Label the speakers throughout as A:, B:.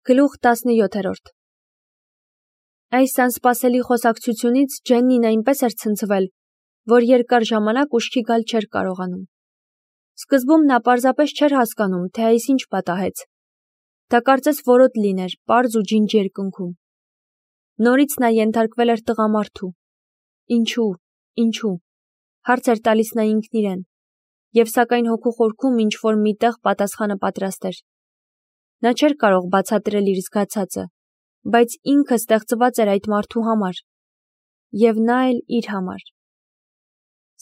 A: Գլուխ 17 Այս անսպասելի խոսակցությունից Ջեննին այնպես էր ցնցվել, որ երկար ժամանակ ուշքի գալ չէր կարողանում։ Սկզբում նա պարզապես չէր հասկանում, թե այս ինչ պատահեց։ Դա կարծես որոտ լիներ, պարզ ու ջինջ երկնքում։ Նորից նա ենթարկվել էր տղամարդու։ Ինչու, հարց էր տալիս նա ինքն իրեն, և սակայն հոգու խորքում ինչ-որ միտեղ պատասխանը պատրաստ էր։ Նա չէր կարող բացատրել իր զգացածը, բայց ինքը ստեղծված էր այդ մարդու համար, և նա էլ իր համար։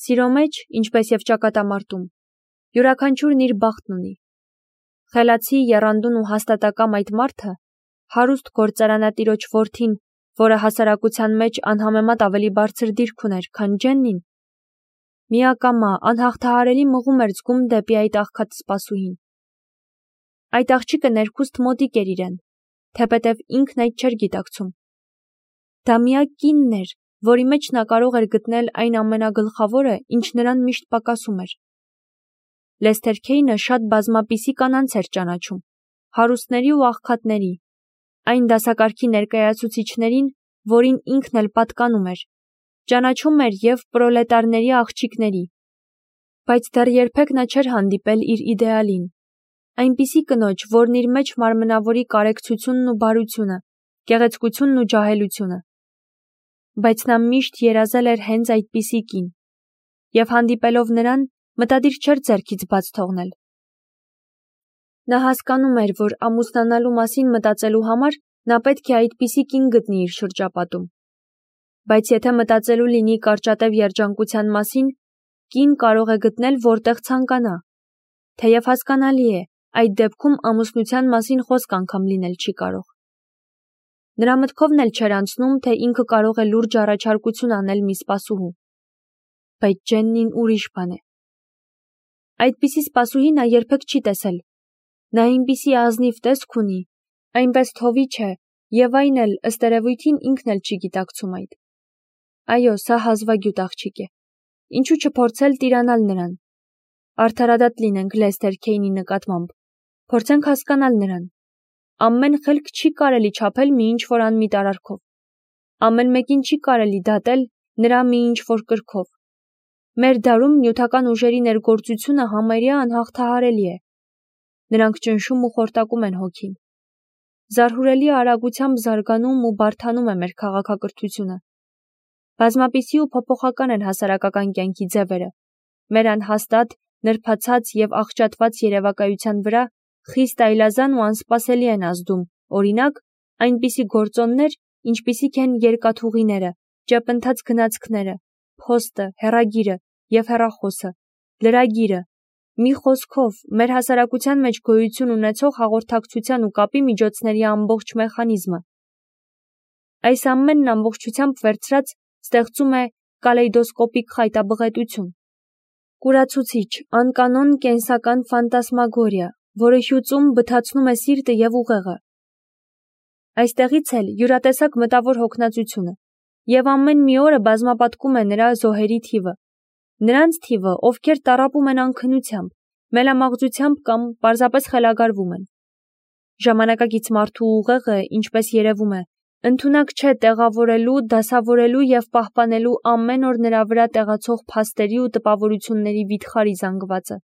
A: Սիրո մեջ, ինչպես և ճակատամարտում, յուրաքանչյուրն իր բախտն ունի։ Խելացի, եռանդուն ու հաստատակամ այդ մարդը, հարուստ գործարանատիրոջ որդին, որը հասարակության մեջ անհամեմատ ավելի բարձր դիրք ուներ, քան Ջեննին, միակամա, անհաղթահարելի մղում էր զգում դեպի այդ աղքատ սպասուհին։ Այդ աղջիկը ներքուստ մոտիկ էր իրեն, թեպետև ինքն այդ չէր գիտակցում։ Դա միակ կինն էր, որի մեջ նա կարող էր գտնել այն ամենագլխավորը, ինչ նրան միշտ պակասում էր։ Լեսթեր Քեյնը շատ բազմապիսի կանանց էր ճանաչում, հարուստների ու աղքատների, այն դասակարգի ներկայացուցիչներին, որին ինքն էլ պատկանում էր, ճանաչում էր և պրոլետարների աղջիկների, բայց դեռ երբեք նա չէր հանդիպել իր իդեալին, այնպիսի կնոջ, որն իր մեջ մարմնավորի կարեկցությունն ու բարությունը, գեղեցկությունն ու ջահելությունը։ Բայց նա միշտ երազել էր հենց այդպիսի կին, և հանդիպելով նրան, մտադիր չէր ձեռքից բաց թողնել։ Նա հասկանում էր, որ ամուսնանալու մասին մտածելու համար նա պետք է այդպիսի կին գտնի իր շրջապատում։ Բայց եթե մտածելու լինի կարճատև երջանկության մասին, կին կարող է գտնել որտեղ ցանկանա, թեև հասկանալի է, այդ դեպքում ամուսնության մասին խոսք անգամ լինել չի կարող։ Նրա մտքովն էլ չէր անցնում, թե ինքը կարող է լուրջ առաջարկություն անել մի սպասուհու։ Բայց Ջեննին ուրիշ բան է։ Այդպիսի սպասուհի նա երբեք չի տեսել։ Նա այնպիսի ազնիվ տեսք ունի, այնպես թովիչ է, և այն էլ, ըստ երևույթին, ինքն էլ չի գիտակցում այդ։ Այո, սա հազվագյուտ աղջիկ է։ Ինչու չփորձել տիրանալ նրան։ Արդարադատ լինենք Լեսթեր Քեյնի նկատմամբ։ Փորձենք հասկանալ նրան։ Ամեն խելք չի կարելի չափել մի ինչ-որ անմիտ արարքով։ Ամեն մեկին չի կարելի դատել նրա մի ինչ-որ կրքով։ Մեր դարում նյութական ուժերի ներգործությունը համարյա անհաղթահարելի է։ Նրանք ճնշում ու խորտակում են հոգին։ Զարհուրելի արագությամբ զարգանում ու բարդանում է մեր քաղաքակրթությունը։ Բազմապիսի ու փոփոխական են հասարակական կյանքի ձևերը։ Մեր անհաստատ, նրբացած և աղճատված երևակայության վրա խիստ այլազան ու անսպասելի են ազդում, օրինակ, այնպիսի գործոններ, ինչպիսիք են երկաթուղիները, ճեպընթաց գնացքները, փոստը, հեռագիրը և հեռախոսը, լրագիրը, մի խոսքով, մեր հասարակության մեջ գոյություն ունեցող հաղորդակցության ու կապի միջոցների ամբողջ մեխանիզմը։ Այս ամենն ամբողջությամբ վերցրած ստեղծում է կալեյդոսկոպիկ խայտաբղետություն։ Կուրացուցիչ, անկանոն կենսական ֆանտասմագորիա, որը հյուծում բթացնում է սիրտը և ուղեղը։ Այստեղից էլ յուրատեսակ մտավոր հոգնածությունը, և ամեն մի օրը բազմապատկում է նրա զոհերի թիվը։ Նրանց թիվը, ովքեր տառապում են անքնությամբ, մելամաղձությամբ կամ պարզապես խելագարվում են։ Ժամանակակից մարդու ուղեղը, ինչպես երևում է, ընդունակ չէ տեղավորելու, դասավորելու և պահպանելու ամեն օր նրա վրա տեղացող փաստերի ու տպավորությունների վիթխարի զանգվածը։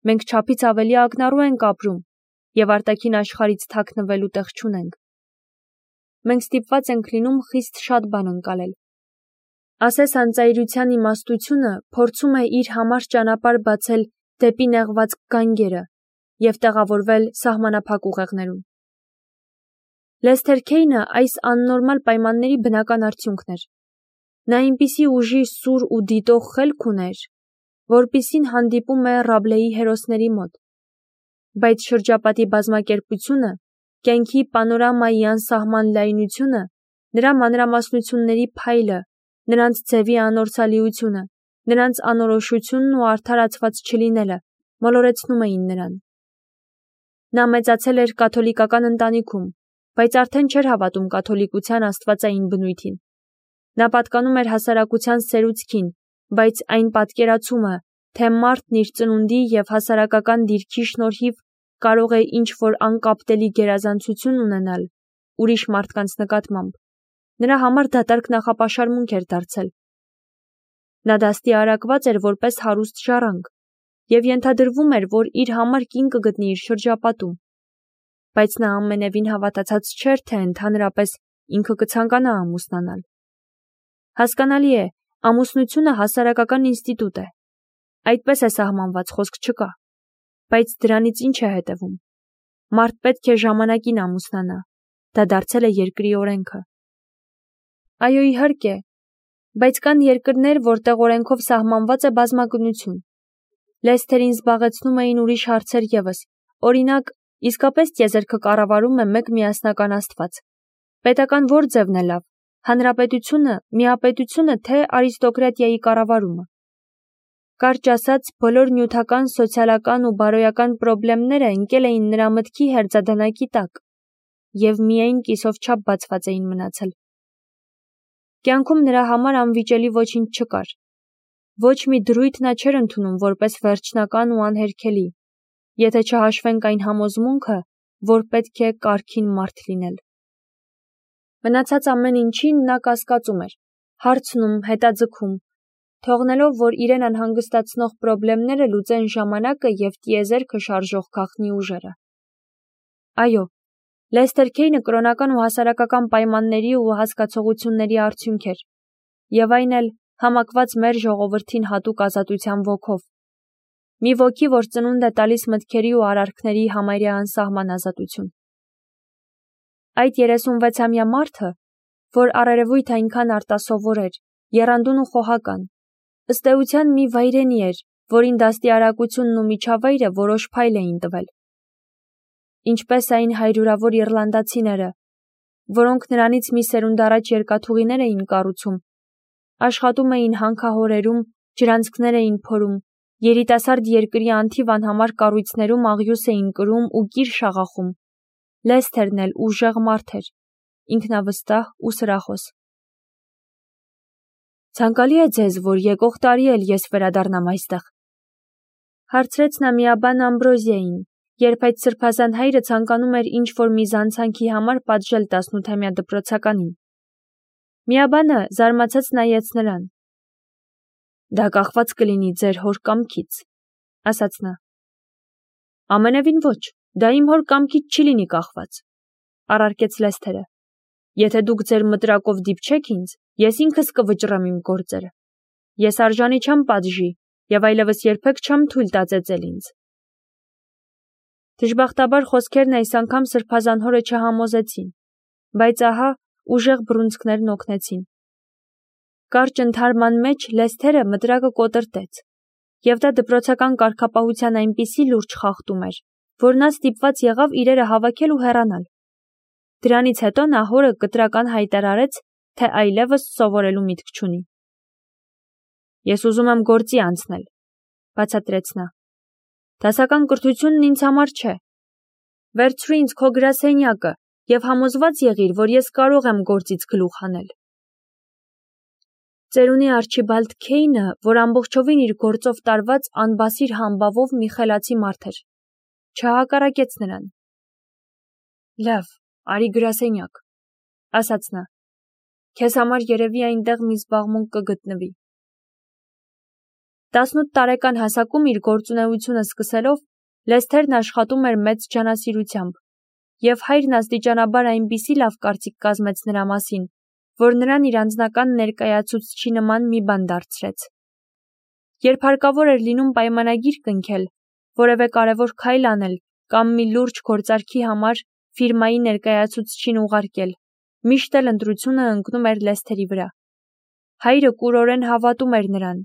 A: Մենք չափից ավելի ակնառու ենք ապրում և արտաքին աշխարհից թաքնվելու տեղ չունենք։ Մենք ստիպված ենք լինում խիստ շատ բան ընկալել։ Ասես անծայրության իմաստությունը փորձում է իր համար ճանապարհ բացել դեպի նեղված գանգերը և տեղավորվել սահմանափակ ուղեղներում։ Լեսթեր Քեյնը այս աննորմալ պայմանների բնական արդյունքն էր։ Նա այնպիսի ուժի սուր ու դիտող խելք ուներ, որպիսին հանդիպում է Ռաբլեի հերոսների մոտ։ Բայց շրջապատի բազմակերպությունը, կյանքի պանորամայի անսահման լայնությունը, նրա մանրամասնությունների փայլը, նրանց ձևի անորսալիությունը, նրանց անորոշությունն ու արդարացված չլինելը մոլորեցնում էին նրան։ Նա մեծացել էր կաթոլիկական ընտանիքում, բայց արդեն չէր հավատում կաթոլիկության աստվածային բնույթին։ Նա պատկանում էր հասարակության սերուցքին, բայց այն պատկերացումը, թե մարդն իր ծնունդի և հասարակական դիրքի շնորհիվ կարող է ինչ-որ անկապտելի գերազանցություն ունենալ ուրիշ մարդկանց նկատմամբ, նրա համար դատարկ նախապաշարմունք էր դարձել։ Նա դաստիարակված էր որպես հարուստ ժառանգ և ենթադրվում էր, որ իր համար կին կգտնի իր շրջապատում, բայց նա ամենևին հավատացած չէր, թե ընդհանրապես ինքը կցանկանա ամուսնանալ։ Հասկանալի է, ամուսնությունը հասարակական ինստիտուտ է, այդպես է սահմանված, խոսք չկա, բայց դրանից ինչ է հետևում։ Մարդ պետք է ժամանակին ամուսնանա, դա դարձել է երկրի օրենքը։ Այո, իհարկե, բայց կան երկրներ, որտեղ օրենքով սահմանված է բազմագնություն։ Լեսթերին զբաղեցնում էին ուրիշ հարցեր ևս, օրինակ, իսկապես տիեզերքը կառավարում է մեկ միասնական Աստված։ Պետական որ ձևն է լավ, հանրապետությունը, միապետությունը, թե արիստոկրատիայի կառավարումը։ Կարճ ասած, բոլոր նյութական, սոցիալական ու բարոյական պրոբլեմները ընկել էին նրա մտքի հերձադանակի տակ և միայն կիսով չափ բացված էին մնացել։ Կյանքում նրա համար անվիճելի ոչինչ չկար։ Ոչ մի դրույթ նա չէր ընդունում որպես վերջնական ու անհերքելի, եթե չհաշվենք այն համոզմունքը, որ պետք է կարգին մարդ լինել։ Մնացած ամեն ինչին նա կասկածում էր, հարցնում, հետաձգում, թողնելով, որ իրեն անհանգստացնող պրոբլեմները լուծեն ժամանակը և տիեզերքը շարժող գաղտնի ուժերը։ Այո, Լեսթեր Քեյնը կրոնական ու հասարակական պայմանների ու հասկացողությունների արդյունք էր, և այն էլ համակված մեր ժողովրդին հատուկ ազատության ոգով։ Մի ոգի, որ ծնունդ է տալիս մտքերի ու արարքների համարյա անսահման ազատություն։ Այդ 36-ամյա մարդը, որ առերևույթ այնքան արտասովոր էր, եռանդուն ու խոհական, ըստ էության մի վայրենի էր, որին դաստիարակությունն ու միջավայրը որոշ փայլ էին տվել։ Ինչպես այն հայրուրավոր իռլանդացիները, որոնք նրանից մի սերունդ առաջ երկաթուղիներ էին կառուցում, աշխատում էին հանքահորերում, ջրանցքներ էին փորում, երիտասարդ երկրի անթիվ անհամար կառույցներում աղյուս էին կրում ու կիր շաղախում։ Լեսթերն էլ ուժեղ մարդ էր, ինքնավստահ ու սրախոս։ Ցանկալի է ձեզ, որ եկող տարի էլ ես վերադառնամ այստեղ, հարցրեց նա միաբան Ամբրոզիային, երբ այդ սրբազան հայրը ցանկանում էր ինչ-որ մի զանցանքի համար պատժել 18-ամյա դպրոցականին։ Միաբանը զարմացած նայեց նրան։ Դա կախված կլինի ձեր հոր կամքից, ասաց նա։ Ամենևին ոչ, դա իմ հոր կամքից չի լինի կախված, առարկեց Լեսթերը։ Եթե դուք ձեր մտրակով դիպչեք ինձ, ես ինքս կվճռեմ իմ գործերը։ Ես արժանի չեմ պատժի և այլևս երբեք չեմ թույլ տա ծեծել ինձ։ Դժբախտաբար խոսքերն այս անգամ սրբազան հորը չհամոզեցին, բայց ահա ուժեղ բռունցքներն օգնեցին։ Կարճ ընդհարման մեջ Լեսթերը մտրակը կոտրտեց, և դա դպրոցական կարգապահության այնպիսի լուրջ խախտում էր, որ նա ստիպված եղավ իրերը հավաքել ու հեռանալ։ Դրանից հետո նա հորը կտրական հայտարարեց, թե այլևս սովորելու միտք չունի։ Ես ուզում եմ գործի անցնել, բացատրեց նա։ Դասական կրթությունն ինձ համար չէ։ Վերցրու ինձ քո գրասենյակը և համոզված եղիր, որ ես կարող եմ գործից գլուխ հանել։ Ծերունի Արչիբալդ Քեյնը, որ ամբողջովին իր գործով տարված անբասիր համբավով մի խելացի մարդ էր, չհակառակեց նրան։ Լավ, արի գրասենյակ, ասաց նա։ Քեզ համար երևի այնտեղ մի զբաղմունք կգտնվի։ 18 տարեկան հասակում իր գործունեությունը սկսելով, Լեսթերն աշխատում էր մեծ ջանասիրությամբ, և հայրն աստիճանաբար այնպիսի լավ կարծիք կազմեց նրա մասին, որ նրան իր անձնական ներկայացուցչի նման մի բան դարձրեց։ Երբ հարկավոր էր լինում պայմանագիր կնքել, որևէ կարևոր քայլ անել կամ մի լուրջ գործարքի համար ֆիրմայի ներկայացուցչին ուղարկել, միշտ էլ ընտրությունը ընկնում էր Լեսթերի վրա։ Հայրը կուրորեն հավատում էր նրան,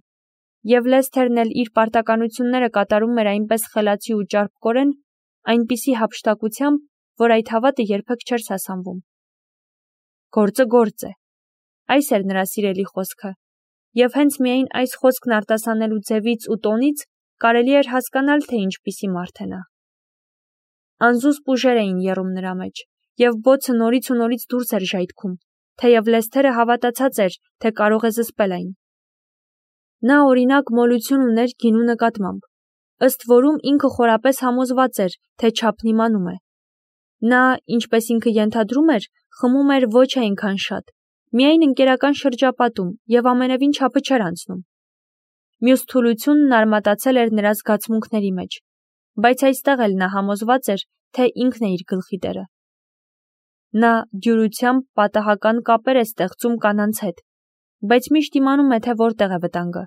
A: և Լեսթերն էլ իր պարտականությունները կատարում էր այնպես խելացի ու ճարպկորեն, այնպիսի հափշտակությամբ, որ այդ հավատը երբեք չէր սասանվում։ Գործը գործ է։ Այս էր նրա սիրելի խոսքը, և հենց միայն այս խոսքն արտասանելու ձևից ու տոնից կարելի էր հասկանալ, թե ինչպիսի մարդ է նա։ Անզուսպ ուժեր էին եռում նրա մեջ, և բոցը նորից ու նորից դուրս էր ժայթքում, թեև Լեսթերը հավատացած էր, թե կարող է զսպել այն։ Նա օրինակ մոլություն ուներ գինու նկատմամբ, ըստ որում ինքը խորապես համոզված էր, թե չափն իմանում է։ Նա, ինչպես ինքը ենթադրում էր, խմում էր ոչ այնքան շատ, միայն ընկերական շրջապատում և ամենևին չափը չէր անցնում։ Մյուս թուլությունն արմատացել էր նրա զգացմունքների մեջ, բայց այստեղ էլ նա համոզված էր, թե ինքն է իր գլխի տերը։ Նա դյուրությամբ պատահական կապեր է ստեղծում կանանց հետ, բայց միշտ իմանում է, թե որտեղ է վտանգը։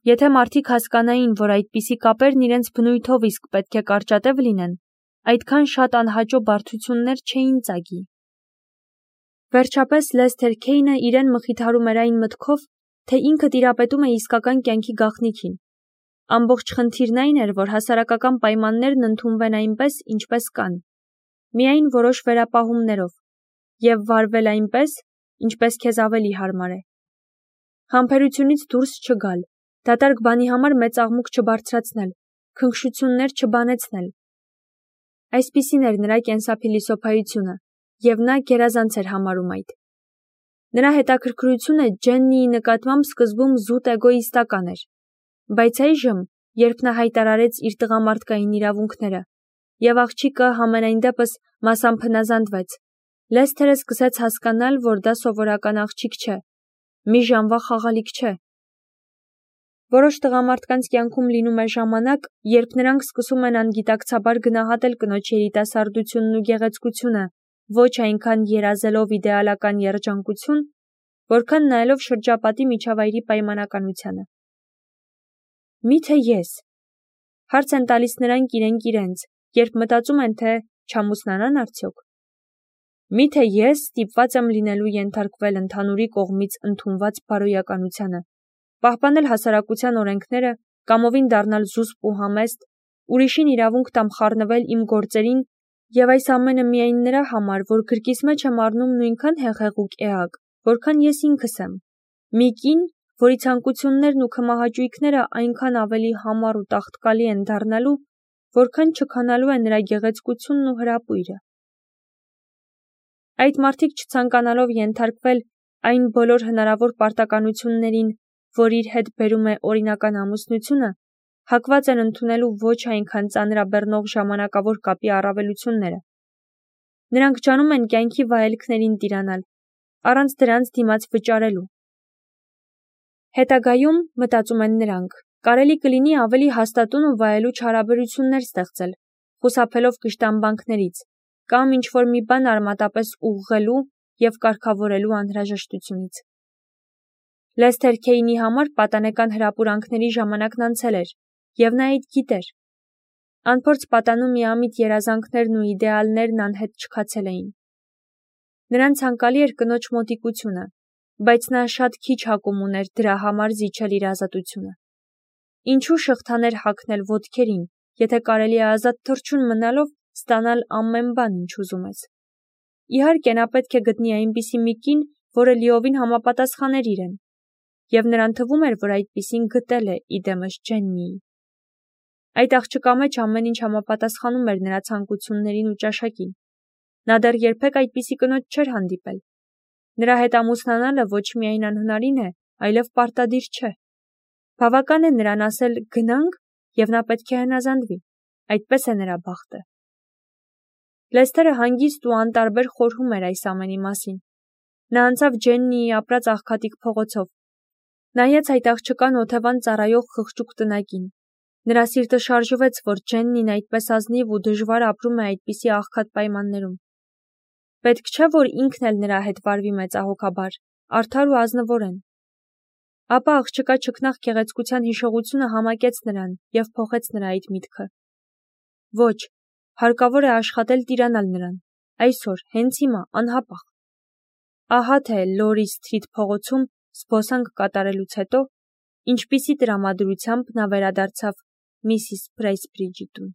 A: Եթե մարդիկ հասկանային, որ այդպիսի կապերն իրենց բնույթով իսկ պետք է կարճատև լինեն, այդքան շատ անհաճո բարդություններ չէին ծագի։ Վերջապես Լեսթեր Քեյնը իրեն մխիթարում էր այն մտքով, թե ինքը տիրապետում է իսկական կյանքի գաղտնիքին։ Ամբողջ խնդիրն այն էր, որ հասարակական պայմաններն ընդունվեն այնպես, ինչպես կան, միայն որոշ վերապահումներով, և վարվել այնպես, ինչպես քեզ ավելի հարմար է։ Համբերությունից դուրս չգալ, դատարկ բանի համար մեծ աղմուկ չբարձրացնել, քնքշություններ չբանեցնել։ Այսպիսին էր նրա կենսափիլիսոփայությունը, և նա գերազանց էր համարում այդ։ Նրա հետաքրքրությունը Ջեննիի նկատմամբ սկզբում զուտ էգոիստական էր, բայց այժմ, երբ նա հայտարարեց իր տղամարդկային իրավունքները, և աղջիկը համենայն դեպս մասամբ հնազանդվեց, Լեսթերը սկսեց հասկանալ, որ դա սովորական աղջիկ չէ, մի ժամվա խաղալիք չէ։ Որոշ տղամարդկանց կյանքում լինում է ժամանակ, երբ նրանք սկսում են անգիտակցաբար գնահատել կնոջ երիտասարդությունն ու գեղեցկությունը, ոչ այնքան երազելով իդեալական երջանկություն, որքան նայելով շրջապատի միջավայրի պայմանականությանը։ Միթե ես։ Հարց են տալիս նրանք իրենք, երբ մտածում են, թե չամուսնանան արդյոք։ Միթե ես ստիպված եմ լինելու ենթարկվել ընդհանուրի կողմից ընդունված բարոյականությանը, պահպանել հասարակության օրենքները, կամովին դառնալ զուսպ ու համեստ, ուրիշին իրավունք տամ խառնվել իմ գործերին, և այս ամենը միայն նրա համար, որ գրկիս մեջ եմ առնում նույնքան հեղեղուկ էակ, որքան ես ինքս եմ։ Մի կին, որի ցանկություններն ու քմահաճույքները այնքան ավելի համառ ու տաղտկալի են դառնալու, որքան չքանալու է նրա գեղեցկությունն ու հրապույրը։ Այդ մարդիկ չցանկանալով ենթարկվել այն բոլոր հնարավոր պարտականություններին, որ իր հետ բերում է օրինական ամուսնությունը, հակված են ընդունելու ոչ այնքան ծանրաբեռնող ժամանակավոր կապի առավելությունները։ Նրանք ջանում են կյանքի վայելքներին տիրանալ, առանց դրանց դիմաց վճարելու։ Հետագայում, մտածում են նրանք, կարելի կլինի ավելի հաստատուն ու վայելուչ հարաբերություններ ստեղծել, խուսափելով կշտամբանքներից, կամ ինչ-որ մի բան արմատապես ուղղելու և կարգավորելու անհրաժեշտությունից։ Լեսթեր Քեյնի համար պատանեկան հրապուրանքների ժամանակն անցել էր, և նա այդ գիտեր։ Անփորձ պատանու միամիտ երազանքներն ու իդեալներն անհետ չքացել էին։ Նրան ցանկալի էր կնոջ մոտիկությունը, բայց նա շատ քիչ հակում ուներ դրա համար զիջել իր ազատությունը։ Ինչու շղթաներ հագնել ոտքերին, եթե կարելի է ազատ թռչուն մնալով ստանալ ամեն բան, ինչ ուզում ես։ Իհարկե, նա պետք է գտնի այնպիսի մի կին, որը լիովին համապատասխաներ իրեն, և նրան թվում էր, որ այդպիսին գտել է իդեմս Ջեննիի։ Այդ աղջկա մեջ ամեն ինչ համապատասխանում էր նրա ցանկություններին ու ճաշակին։ Նա դեռ երբեք այդպիսի կնոջ չէր հանդիպել։ Նրա հետ ամուսնանալը ոչ միայն անհնարին է, այլև պարտադիր չէ։ Բավական է նրան ասել գնանք, և նա պետք է հնազանդվի։ Այդպես է նրա բախտը։ Լեսթերը հանգիստ ու անտարբեր խորհում էր այս ամենի մասին։ Նա անցավ Ջեննիի ապրած աղքատիկ փողոցով։ Նայեց այդ աղջկան օթևան ծառայող խղճուկ տնակին։ Նրա սիրտը շարժվեց, որ Ջեննին այդպես ազնիվ ու դժվար ապրում է այդպիսի աղքատ պայմաններում։ Պետք չէ, որ ինքն էլ նրա հետ վարվի մեծահոգաբար, արդար ու ազնվորեն։ Ապա աղջկա չքնաղ գեղեցկության հիշողությունը համակեց նրան և փոխեց նրա այդ միտքը։ Ոչ, հարկավոր է աշխատել տիրանալ նրան, այսօր, հենց հիմա, անհապաղ։ Ահա թե Լորի Սթրիթ փողոցում զբոսանք կատարելուց հետո ինչպիսի տրամադրությամբ նա վերադարձավ Միսիս Փրայսբրիջի տուն։